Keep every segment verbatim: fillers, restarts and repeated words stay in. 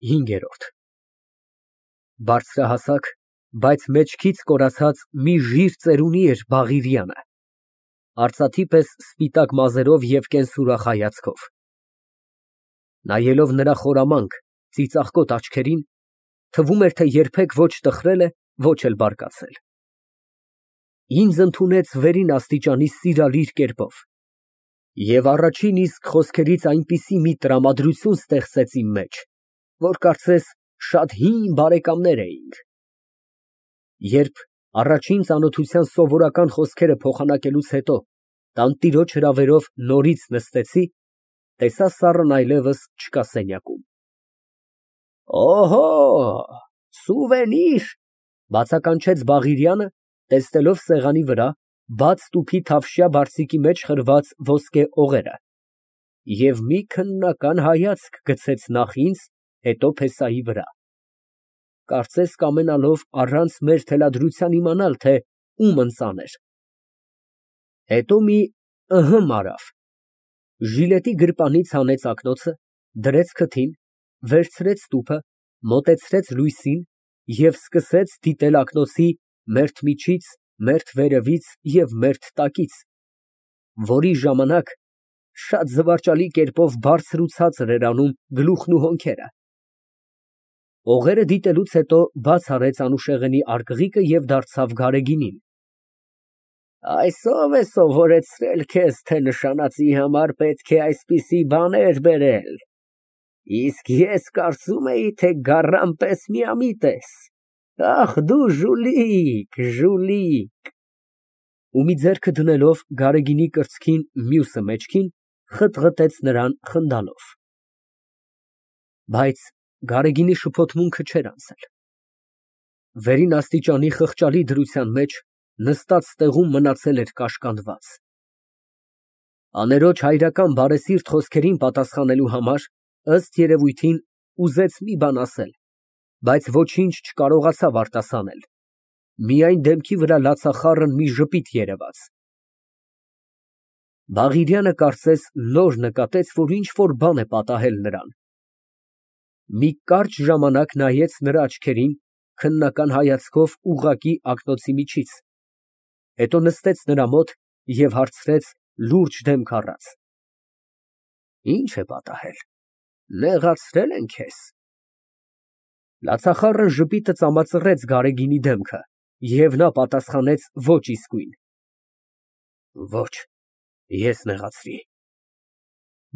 ՀԻՆԳԵՐՈՐԴ Բարձրահասակ, բայց մեջքից կորացած մի ժիր ծերունի էր Բաղիրյանը, արծաթի պես սպիտակ մազերով և կենսուրախ հայացքով։ Նայելով նրա խորամանկ, ծիծաղկոտ աչքերին, թվում էր, թե երբեք ոչ տխրել է, ոչ էլ բարկացել։ Ինձ ընդունեց վերին աստիճանի սիրալիր կերպով և առաջին իսկ խոսքերից այնպիսի մի տրամադրություն ստեղծեց իմ մեջ, որ կարծես շատ հին բարեկամներ էինք։ Երբ առաջին ծանոթության սովորական խոսքերը փոխանակելուց հետո տանտիրոջ հրավերով նորից նստեցի, տեսա սառն այլևս չկա սենյակում։ Օհո, սուվենիր, բացականչեց Բաղիրյանը, տեսնելով սեղանի վրա բաց տուփի թավշյա բարձիկի մեջ խրված ոսկե օղերը, և մի քննական հայացք գցեց նախ ինձ, հետո փեսայի վրա, կարծես կամենալով առանց մեր թելադրության իմանալ, թե ում ընծան էր։ Հետո մի ըհը մարավ, ժիլետի գրպանից հանեց ակնոցը, դրեց քթին, վերցրեց տուփը, մոտեցրեց լույսին և սկսեց դիտել ակնոցի մերթ միջից, մերթ վերևից և մերթ տակից, որի ժամանակ շատ զվարճալի կերպով բարձր ու ցածր էր անում գլուխն ու հոնքերը։ Օղերը դիտելուց հետո բաց արեց անուշեղենի արկղիկը և դարձավ Գարեգինին։ Այս ո՞վ է սովորեցրել քեզ, թե նշանածի համար պետք է այսպիսի բաներ բերել, իսկ ես կարծում էի, թե գառան պես միամիտ ես, ախ, դու ժուլիկ, ժուլիկ… Ու մի ձեռքը դնելով Գարեգինի կրծքին, մյուսը մեջքին, խտղտեց նրան խնդալով։ Բայց Գարեգինի շփոթմունքը չէր անցել։ Վերին աստիճանի խղճալի դրության մեջ նստած տեղում մնացել էր կաշկանդված։ Աներոջ հայրական բարեսիրտ խոսքերին պատասխանելու համար, ըստ երևույթին, ուզեց մի բան ասել, բայց ոչինչ չկարողացավ արտասանել, միայն դեմքի վրա լացախառն մի ժպիտ երևաց։ Բաղիրյանը կարծես նոր նկատեց, որ ինչ֊որ բան է պատահել նրան։ Մի կարճ ժամանակ նայեց նրա աչքերին քննական հայացքով ուղղակի ակնոցի միջից, հետո նստեց նրա մոտ և հարցրեց լուրջ դեմք առած. Ի՞նչ է պատահել, նեղացրե՞լ են քեզ։ Լացախառն ժպիտը ծամածռեց Գարեգինի դեմքը, և նա պատասխանեց ոչ իսկույն. Ոչ, ես նեղացրի։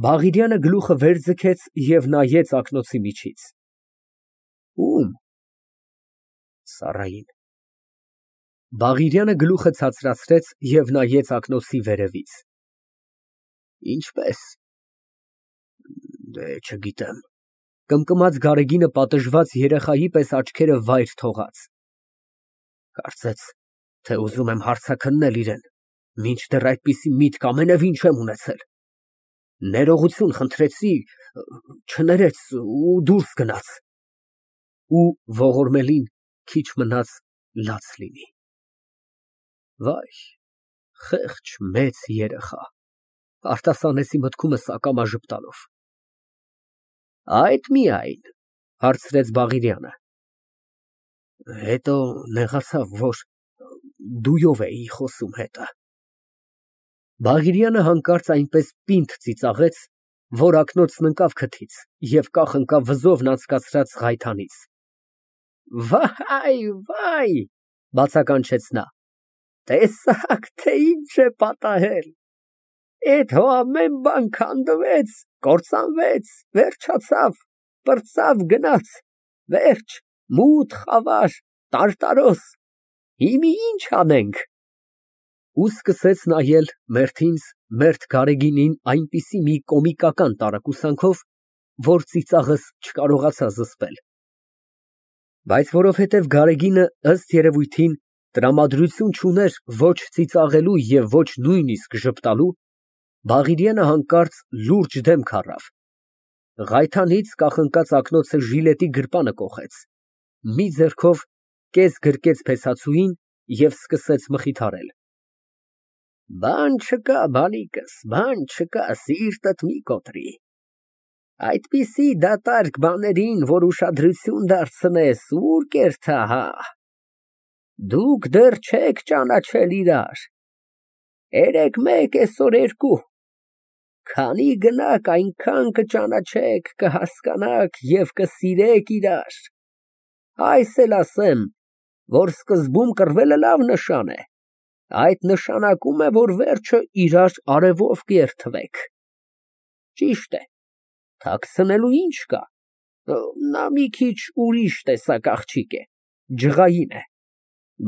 Բաղիրյանը գլուխը վեր ձգեց և նայեց ակնոցի միջից։ Ո՞ւմ։ Սառային։ Բաղիրյանը գլուխը ցածրացրեց և նայեց ակնոցի վերևից։ Ինչպե՞ս։ Դե, չգիտեմ, կմկմաց Գարեգինը պատժված երեխայի պես աչքերը վայր թողած։ Կարծեց, թե ուզում եմ հարցաքննել իրան, մինչդեռ այդպիսի միտք ամենևին չեմ ունեցել։ Ներողություն խնդրեցի, չներեց ու դուրս գնաց։ Ու ողորմելին քիչ մնաց լաց լինի։ Վայ, խեղճ մեծ երեխա, արտասանեցի մտքումս ակամա ժպտալով։ Այդ միայն, հարցրեց Բաղիրյանը։ Հետո նեղացավ, որ դույով էի խոսում հետը։ Բաղիրյանը հանկարծ այնպես պինդ ծիծաղեց, որ ակնոցն ընկավ քթից և կախ ընկավ վզովն անցկացրած ղայթանից։ Վայ, վայ, բացականչեց նա, տեսա՞ք, թե ինչ է պատահել։ Էդ հո ամեն բան քանդվեց, կործանվեց, վերջացավ, պրծավ, գնաց, վերջ, մութ, խավար, տարտարոս, հիմա ի՞նչ անենք։ Ու սկսեց նայել մերթ ինձ, մերթ Գարեգինին այնպիսի մի կոմիկական տարակուսանքով, որ ծիծաղս չկարողացա զսպել։ Բայց որովհետև Գարեգինը, ըստ երևույթին, տրամադրություն չուներ ոչ ծիծաղելու և ոչ նույնիսկ ժպտալու, Բաղիրյանը հանկարծ լուրջ դեմք առավ, ղայթանից կախընկած ակնոցը ժիլետի գրպանը կոխեց, մի ձեռքով կես գրկեց փեսացուին և սկսեց մխիթարել։ Բան չկա, բալիկս, բան չկա, սիրտդ մի կոտրի։ Այդպիսի դատարկ բաներին, որ ուշադրություն դարձնես, ուր կերթա, հա։ Դուք դեռ չեք ճանաչել իրար, երեկ մեկ, այսօր երկու, քանի գնաք, այնքան կճանաչեք, կհասկանաք և կսիրեք իրար, այս էլ ասեմ, որ սկզբում կռվելը լավ նշան է, այդ նշանակում է, որ վերջը իրար արևով կերթվեք, ճիշտ է, թաքցնելու ինչ կա, նա մի քիչ ուրիշ տեսակ աղջիկ է, ջղային է,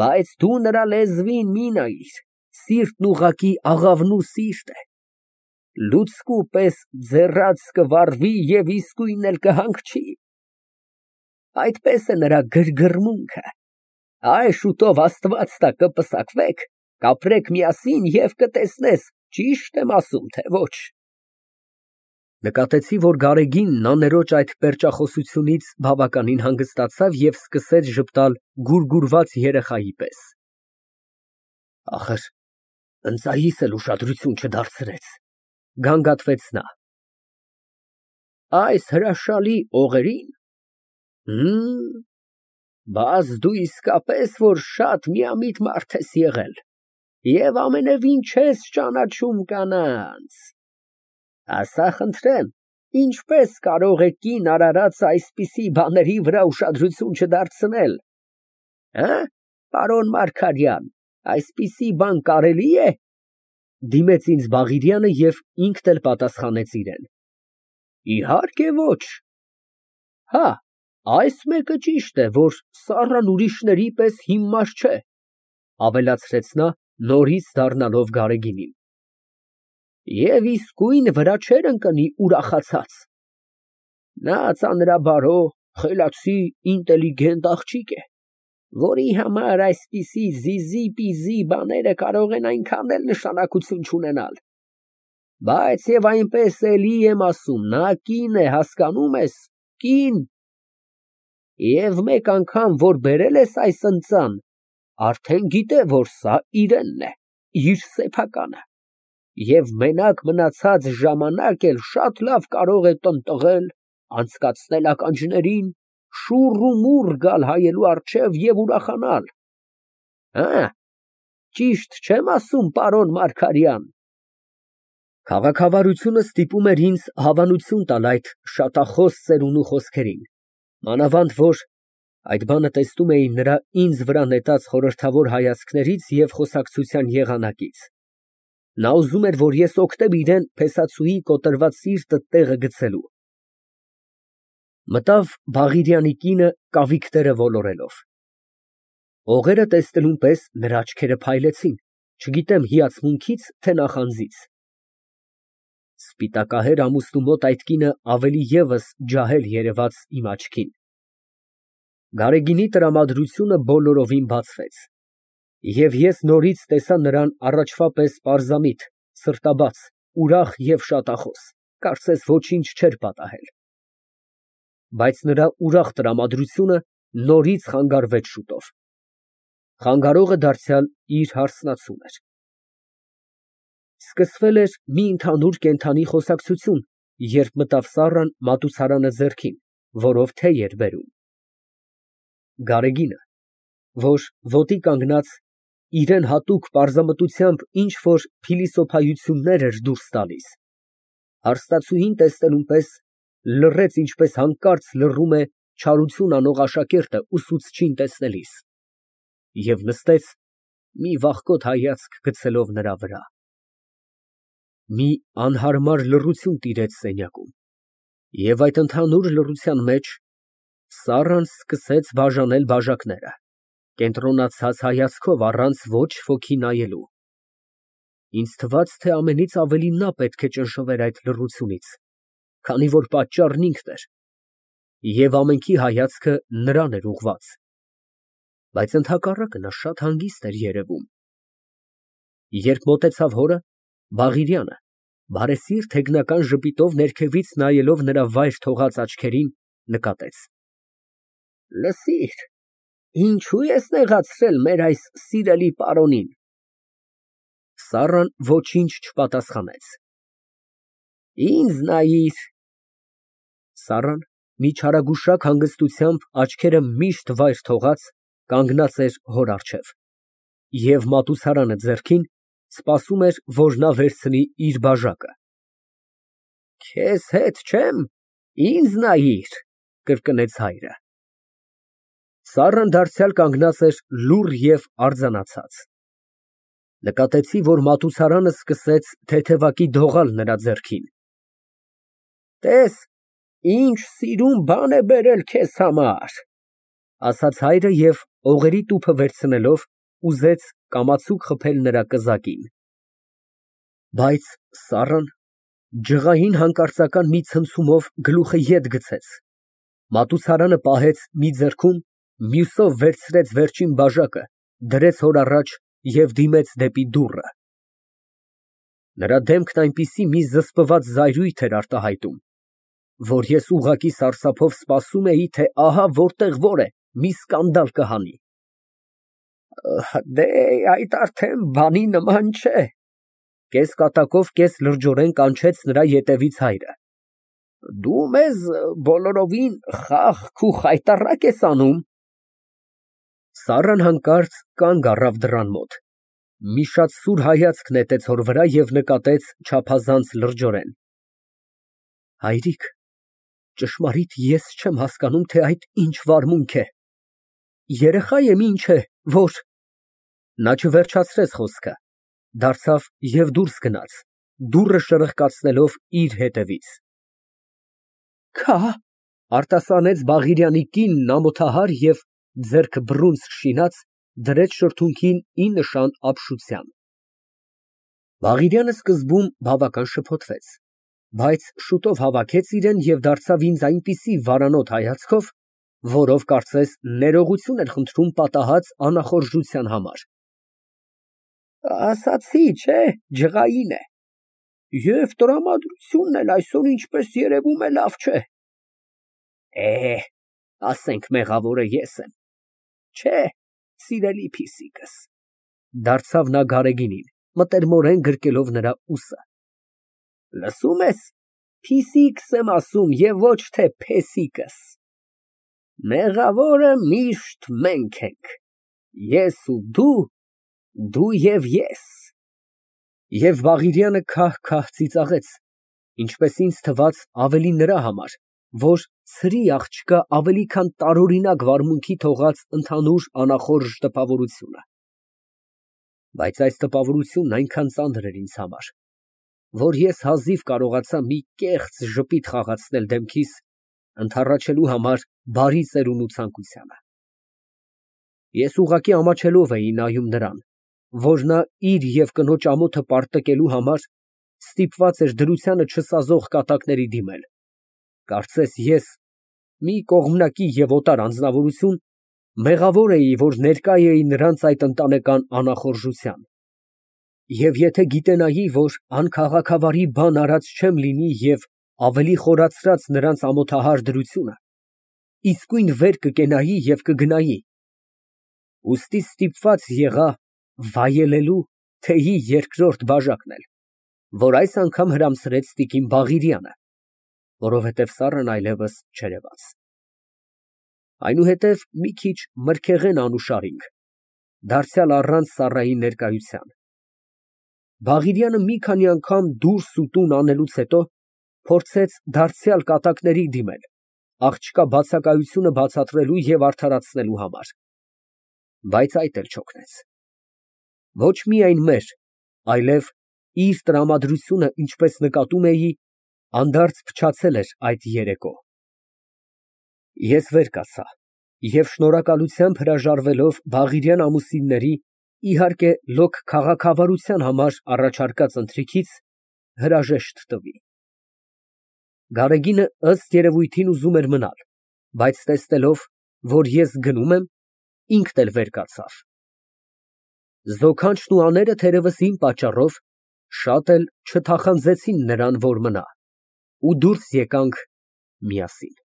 բայց դու նրա լեզվին մի նայիր, սիրտն ուղղակի աղավնու սիրտ է, լուցկու պես ձեռած կվառվի և իսկույն էլ կհանգչի, այդպես է նրա գրգռմունքը, այ շուտով Աստված տա կպսակվեք, կապրեք միասին և կտեսնես, ճիշտ եմ ասում, թե ոչ։ Նկատեցի, որ Գարեգինն աներոջ այդ պերճախոսությունից բավականին հանգստացավ և սկսեց ժպտալ գուրգուրված երեխայի պես։ Ախր, ընծայիս էլ ուշադրություն չդարձրեց, գանգատվեց նա։ Այս հրաշալի օղերին, հըմ, բաս դու իսկապես որ շատ միամիտ մարդ ես եղել և ամենևին չես ճանաչում կանանց, ասա խնդրեմ, ինչպես կարող է կին արարած այսպիսի բաների վրա ուշադրություն չդարձնել, հը, պարոն Մարգարյան, այսպիսի բան կարելի է, դիմեց ինձ Բաղիրյանը և ինքն էլ պատասխանեց իրան, իհարկե ոչ, հա, այս մեկը ճիշտ է, որ Սառան ուրիշների պես հիմար չէ, ավելացրեց նա, նորից դառնալով Գարեգինին, և իսկույն վրա չէր ընկնի ուրախացած, նա ծանրաբարո, խելացի, ինտելիգենտ աղջիկ է, որի համար այսպիսի զիզի֊պիզի բաները կարող են այնքան էլ նշանակություն չունենալ, բայց և այնպես էլի եմ ասում, նա կին է, հասկանում ես, կին, և մեկ անգամ, որ բերել ես այս ընծան, արդեն գիտե, որ սա իրենն է, իր սեփականը, և մենակ մնացած ժամանակ էլ շատ լավ կարող է տնտղել, անցկացնել ականջներին, շուռ ու մուռ գալ հայելու առջև և ուրախանալ, հը, ճիշտ չեմ ասում, պարոն Մարգարյան։ Քաղաքավարությունը ստիպում էր ինձ հավանություն տալ այդ շատախոս ծերունու խոսքերին, մանավանդ որ այդ բանը տեսնում էի նրա ինձ վրա նետած խորհրդավոր հայացքներից և խոսակցության եղանակից, նա ուզում էր, որ ես օգնեմ իրան փեսացուի կոտրված սիրտը տեղը գցելու։ Մտավ Բաղիրյանի կինը կավիքները ոլորելով։ Օղերը տեսնելուն պես նրա աչքերը փայլեցին, չգիտեմ հիացմունքից, թե նախանձից։ Սպիտակահեր ամուսնու մոտ այդ կինը ավելի ևս ջահել երևաց իմ աչքին։ Գարեգինի տրամադրությունը բոլորովին բացվեց, և ես նորից տեսա նրան առաջվա պես պարզամիտ, սրտաբաց, ուրախ և շատախոս, կարծես ոչինչ չէր պատահել։ Բայց նրա ուրախ տրամադրությունը նորից խանգարվեց շուտով։ Խանգարողը դարձյալ իր հարսնացուն էր։ Սկսվել էր մի ընդհանուր կենդանի խոսակցություն, երբ մտավ Սառան մատուցարանը ձեռքին, որով թեյ էր բերում։ Գարեգինը, որ ոտի կանգնած, իրան հատուկ պարզամտությամբ ինչ֊որ փիլիսոփայություններ էր դուրս տալիս, հարստացուհին տեսնելուն պես լռեց, ինչպես հանկարծ լռում է չարություն անող աշակերտը ուսուցչին տեսնելիս, և նստեց, մի վախկոտ հայացք գցելով նրա վրա։ Մի անհարմար լռություն տիրեց սենյակում, և այդ ընդհանուր լռության մեջ Սառան սկսեց բաժանել բաժակները, կենտրոնացած հայացքով, առանց ոչ ոքի նայելու։ Ինձ թվաց, թե ամենից ավելի նա պետք է ճնշվեր այդ լռությունից, քանի որ պատճառն ինքն էր, և ամենքի հայացքը նրան էր ուղղված, բայց ընդհակառակը նա շատ հանգիստ էր երևում։ Երբ մոտեցավ հորը, Բաղիրյանը, բարեսիրտ հեգնական ժպիտով ներքևից նայելով նրա վայր թողած աչքերին, նկատեց. Լսիր, ինչո՞ւ ես նեղացրել մեր այս սիրելի պարոնին։ Սառան ոչինչ չպատասխանեց։ Ինձ նայիր, Սառան մի չարագուշակ հանգստությամբ աչքերը միշտ վայր թողած կանգնած էր հոր առջև և մատուցարանը ձեռքին սպասում էր, որ նա վերցնի իր բաժակը։ Քեզ հետ չեմ, ինձ նայիր, կրկնեց հայրը։ Սառան դարձյալ կանգնած էր լուռ և արձանացած։ Նկատեցի, որ մատուցարանը սկսեց թեթևակի դողալ նրա ձեռքին։ Տես, ինչ սիրուն բան է բերել քեզ համար, ասաց հայրը և օղերի տուփը վերցնելով ուզեց կամացուկ խփել նրա կզակին։ Բայց Սառան ջղային հանկարծական մի ցնցումով գլուխը ետ գցեց, մատուցարանը պահեց մի ձեռքում, մյուսով վերցրեց վերջին բաժակը, դրեց հոր առաջ և դիմեց դեպի դուռը։ Նրա դեմքն այնպիսի մի զսպված զայրույթ էր արտահայտում, որ ես ուղղակի սարսափով սպասում էի, թե ահա որտեղ որ է, մի սկանդալ կհանի։ Դե, այդ արդեն բանի նման չէ, կես֊կատակով, կես֊լրջորեն կանչեց նրա ետևից հայրը։ Դու մեզ բոլորովին խաղ ու խայտառակ ես անում։ Սառան հանկարծ կանգ առավ դռան մոտ, մի շատ սուր հայացք նետեց հոր վրա և նկատեց չափազանց լրջորեն։ Հայրիկ, ճշմարիտ ես չեմ հասկանում, թե այդ ինչ վարմունք է։ Երեխա եմ, ինչ է, որ… Նա չվերջացրեց խոսքը, դարձավ և դուրս գնաց, դուռը շրխկացնելով իր հետևից։ Քա… արտասանեց Բաղիրյանի կինն ամոթահար և, ձեռքը բռունցք շինած, դրեց շրթունքին ի նշան ապշության։ Բաղիրյանը սկզբում բավական շփոթվեց, բայց շուտով հավաքեց իրեն և դարձավ ինձ այնպիսի վարանոտ հայացքով, որով, կարծես, ներողություն էր խնդրում պատահած անախորժության համար։ Ասացի, չէ, ջղային է, և տրամադրությունն էլ այսօր, ինչպես երևում է, լավ չէ։ Է, ասենք մեղավորը ես եմ, չէ, սիրելի փիսիկս, դարձավ նա Գարեգինին, մտերմորեն գրկելով նրա ուսը։ Լսում ես, փիսիկս եմ ասում և ոչ թե փեսիկս։ Մեղավորը միշտ մենք ենք, ես ու դու, դու և ես։ Եվ Բաղիրյանը քահ֊քահ ծիծաղեց, ինչպես ինձ թվաց ավելի նրա համար, որ ցրի աղջկա ավելի քան տարօրինակ վարմունքի թողած ընդհանուր անախորժ տպավորությունը։ Բայց այս տպավորությունն այնքան ծանր էր ինձ համար, որ ես հազիվ կարողացա մի կեղծ ժպիտ խաղացնել դեմքիս, ընդառաջելու համար բարի ծերունու ցանկությանը։ Ես ուղղակի ամաչելով էի նայում նրան, որ նա իր և կնոջ ամոթը պարտկելու համար ստիպված էր դրությանը չսազող կատակների դիմել, կարծես ես, մի կողմնակի և օտար անձնավորություն, մեղավոր էի, որ ներկա էի նրանց այդ ընտանեկան անախորժության։ Եվ եթե գիտենայի, որ անքաղաքավարի բան արած չեմ լինի և ավելի խորացրած նրանց ամոթահար դրությունը, իսկույն վեր կկենայի և կգնայի, ուստի ստիպված եղա վայելելու թեյի երկրորդ բաժակն էլ, որ այս անգամ հրամսրեց տիկին Բաղիրյանը, որովհետև Սառն այլևս չերևաց։ Այնուհետև մի քիչ մրգեղեն անուշարինք, դարձյալ առանց Սառայի ներկայության։ Բաղիրյանը մի քանի անգամ դուրս ու տուն անելուց հետո փորձեց դարձյալ կատակների դիմել, աղջկա բացակայությունը բացատրելու և արդարացնելու համար, բայց այդ էլ չօգնեց։ Ոչ միայն մեր, այլև իր տրամադրությունը, ինչպես նկատում էի, անդարձ փչացել էր այդ երեկո։ Ես վեր կացա և շնորհակալությամբ հրաժարվելով Բաղիրյան ամուսինների, իհարկե, լոկ քաղաքավարության համար առաջարկած ընթրիքից, հրաժեշտ տվի։ Գարեգինը, ըստ երևույթին, ուզում էր մնալ, բայց տեսնելով, որ ես գնում եմ, ինքն էլ վեր կացավ։ Զոքանչն ու աները, թերևս իմ պատճառով, շատ էլ չթախանձեցին նրան, որ մնա, ու դուրս եկանք միասին։